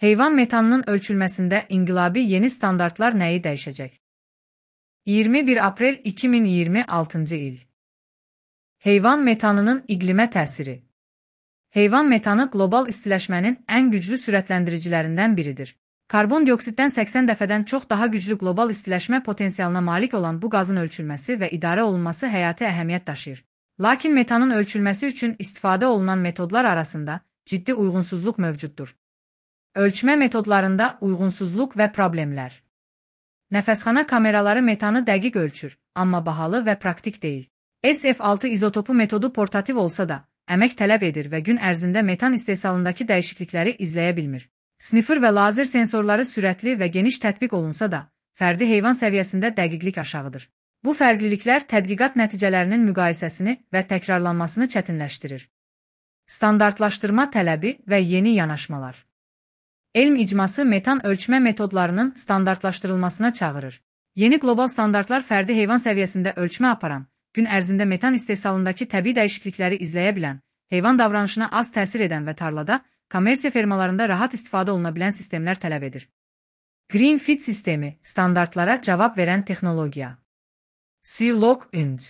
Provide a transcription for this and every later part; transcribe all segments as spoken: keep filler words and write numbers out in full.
Heyvan metanının ölçülməsində inqilabi yeni standartlar nəyi dəyişəcək? iyirmi bir aprel iki min iyirmi altıncı il. Heyvan metanının iqlimə təsiri. Heyvan metanı qlobal istiləşmənin ən güclü sürətləndiricilərindən biridir. Karbon dioksiddən səksən dəfədən çox daha güclü qlobal istiləşmə potensialına malik olan bu qazın ölçülməsi və idarə olunması həyati əhəmiyyət daşıyır. Lakin metanın ölçülməsi üçün istifadə olunan metodlar arasında ciddi uyğunsuzluq mövcuddur. Ölçmə metodlarında uyğunsuzluq və problemlər. Nəfəsxana kameraları metanı dəqiq ölçür, amma bahalı və praktik deyil. S F altı izotopu metodu portativ olsa da, əmək tələb edir və gün ərzində metan istehsalındakı dəyişiklikləri izləyə bilmir. Sniffer və lazer sensorları sürətli və geniş tətbiq olunsa da, fərdi heyvan səviyyəsində dəqiqlik aşağıdır. Bu fərqliliklər tədqiqat nəticələrinin müqayisəsini və təkrarlanmasını çətinləşdirir. Standartlaşdırma tələbi və yeni yanaşmalar. Elm icması metan ölçmə metodlarının standartlaşdırılmasına çağırır. Yeni qlobal standartlar fərdi heyvan səviyyəsində ölçmə aparan, gün ərzində metan istehsalındakı təbii dəyişiklikləri izləyə bilən, heyvan davranışına az təsir edən və tarlada, kommersiya fermalarında rahat istifadə oluna bilən sistemlər tələb edir. Green Fit sistemi, standartlara cavab verən texnologiya. C-Log-Ind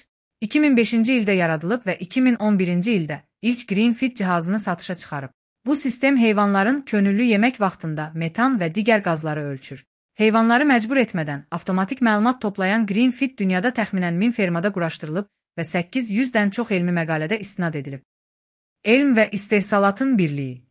iki min beşinci ildə yaradılıb və iki min on birinci ildə ilk Green Fit cihazını satışa çıxarıb. Bu sistem heyvanların könüllü yemək vaxtında metan və digər qazları ölçür. Heyvanları məcbur etmədən avtomatik məlumat toplayan Green Fit dünyada təxminən min fermada quraşdırılıb və səkkiz yüzdən çox elmi məqalədə istinad edilib. Elm və istehsalatın birliyi.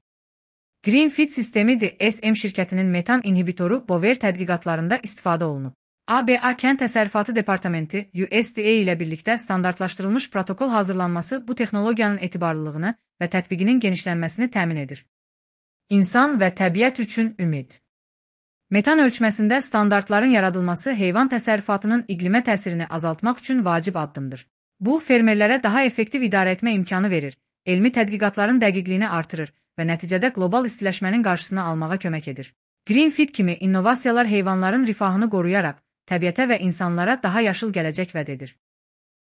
Green Fit sistemi D S M şirkətinin metan inhibitoru Bover tədqiqatlarında istifadə olunub. A B A Kənd Təsərrüfatı Departamenti U S D A ilə birlikdə standartlaşdırılmış protokol hazırlanması bu texnologiyanın etibarlılığını və tətbiqinin genişlənməsini təmin edir. İnsan və təbiət üçün ümid. Metan ölçməsində standartların yaradılması heyvan təsərrüfatının iqlimə təsirini azaltmaq üçün vacib addımdır. Bu, fermerlərə daha effektiv idarə etmə imkanı verir, elmi tədqiqatların dəqiqliyini artırır və nəticədə qlobal istiləşmənin qarşısını almağa kömək edir. Green Fit kimi innovasiyalar heyvanların rifahını qoruyaraq, təbiətə və insanlara daha yaşıl gələcək vəd edir.